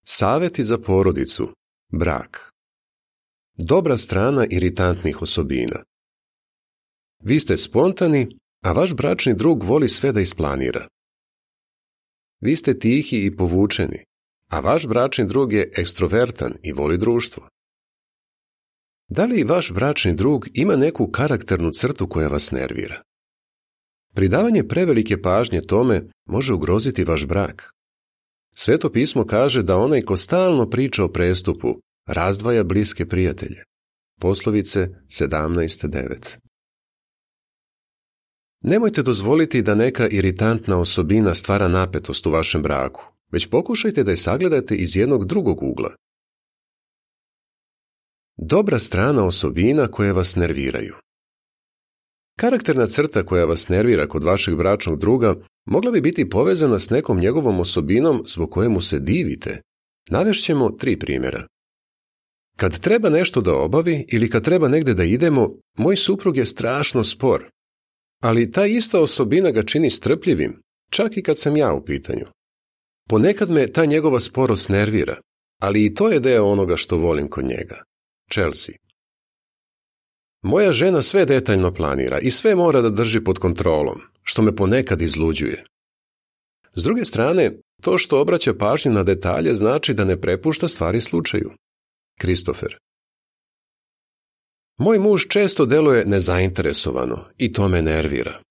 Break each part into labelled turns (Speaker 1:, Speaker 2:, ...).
Speaker 1: Savjeti za porodicu. Brak. Dobra strana iritantnih osobina. Vi ste spontani, a vaš bračni drug voli sve da isplanira. Vi ste tihi i povučeni, a vaš bračni drug je ekstrovertan i voli društvo. Da li vaš bračni drug ima neku karakternu crtu koja vas nervira? Pridavanje prevelike pažnje tome može ugroziti vaš brak. Sveto pismo kaže da onaj ko stalno priča o prestupu razdvaja bliske prijatelje. Poslovice 17:9. Nemojte dozvoliti da neka iritantna osobina stvara napetost u vašem braku, već pokušajte da je sagledate iz jednog drugog ugla. Dobra strana osobina koje vas nerviraju. Karakterna crta koja vas nervira kod vašeg bračnog druga mogla bi biti povezana s nekom njegovom osobinom zbog kojemu se divite. Navešćemo 3 primjera. Kad treba nešto da obavi ili kad treba negde da idemo, moj suprug je strašno spor. Ali ta ista osobina ga čini strpljivim, čak i kad sam ja u pitanju. Ponekad me ta njegova sporost nervira, ali i to je deo onoga što volim kod njega. Chelsea. Moja žena sve detaljno planira i sve mora da drži pod kontrolom, što me ponekad izluđuje. S druge strane, to što obraća pažnju na detalje znači da ne prepušta stvari slučaju. Christopher. Moj muž često deluje nezainteresovano i to me nervira.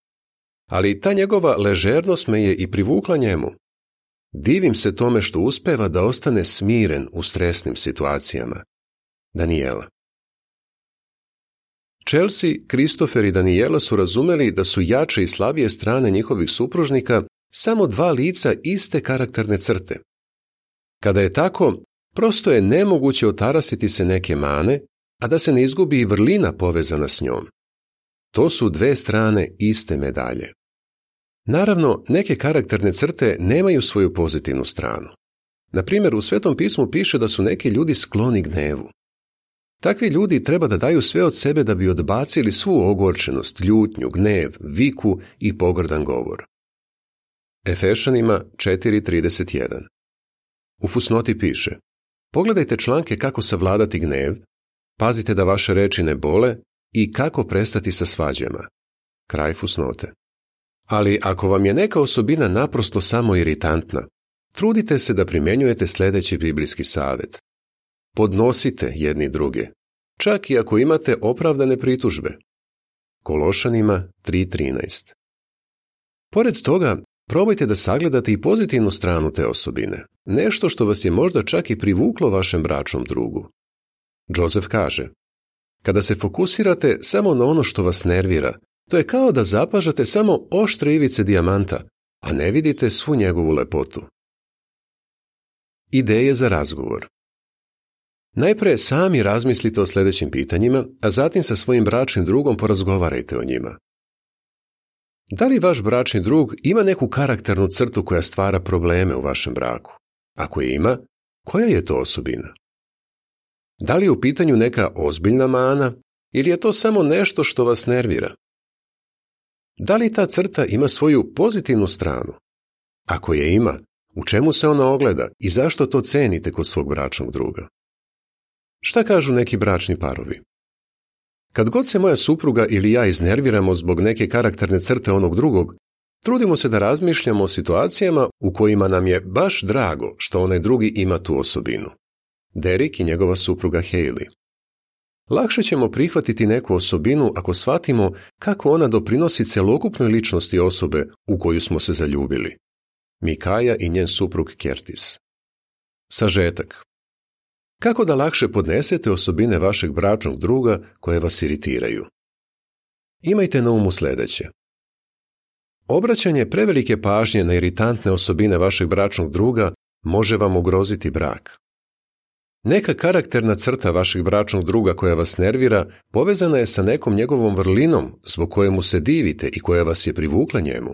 Speaker 1: Ali ta njegova ležernost me je i privukla njemu. Divim se tome što uspeva da ostane smiren u stresnim situacijama. Daniela. Chelsea, Christopher i Daniela su razumeli da su jače i slabije strane njihovih supružnika samo 2 lica iste karakterne crte. Kada je tako, prosto je nemoguće otarasiti se neke mane, a da se ne izgubi i vrlina povezana s njom. To su 2 strane iste medalje. Naravno, neke karakterne crte nemaju svoju pozitivnu stranu. Na primjer, u Svetom pismu piše da su neki ljudi skloni gnevu. Takvi ljudi treba da daju sve od sebe da bi odbacili svu ogorčenost, ljutnju, gnev, viku i pogrdan govor. Efešanima 4:31. U fusnoti piše: pogledajte članke kako savladati gnev, pazite da vaše reči ne bole i kako prestati sa svađama. Kraj fusnote. Ali ako vam je neka osobina naprosto samo iritantna, trudite se da primjenjujete sljedeći biblijski savjet. Podnosite jedni druge, čak i ako imate opravdane pritužbe. Kološanima 3:13. Pored toga, probajte da sagledate i pozitivnu stranu te osobine, nešto što vas je možda čak i privuklo vašem bračnom drugu. Joseph kaže: kada se fokusirate samo na ono što vas nervira, to je kao da zapažate samo oštre ivice dijamanta, a ne vidite svu njegovu lepotu. Ideje za razgovor. Najpre sami razmislite o sljedećim pitanjima, a zatim sa svojim bračnim drugom porazgovarajte o njima. Da li vaš bračni drug ima neku karakternu crtu koja stvara probleme u vašem braku? Ako je ima, koja je to osobina? Da li je u pitanju neka ozbiljna mana ili je to samo nešto što vas nervira? Da li ta crta ima svoju pozitivnu stranu? Ako je ima, u čemu se ona ogleda i zašto to cenite kod svog bračnog druga? Šta kažu neki bračni parovi? Kad god se moja supruga ili ja iznerviramo zbog neke karakterne crte onog drugog, trudimo se da razmišljamo o situacijama u kojima nam je baš drago što onaj drugi ima tu osobinu. Derek i njegova supruga Hailey. Lakše ćemo prihvatiti neku osobinu ako shvatimo kako ona doprinosi celokupnoj ličnosti osobe u koju smo se zaljubili. Mikaja i njen suprug Curtis. Sažetak. Kako da lakše podnesete osobine vašeg bračnog druga koje vas iritiraju? Imajte na umu sljedeće. Obraćanje prevelike pažnje na iritantne osobine vašeg bračnog druga može vam ugroziti brak. Neka karakterna crta vašeg bračnog druga koja vas nervira povezana je sa nekom njegovom vrlinom zbog koje mu se divite i koja vas je privukla njemu.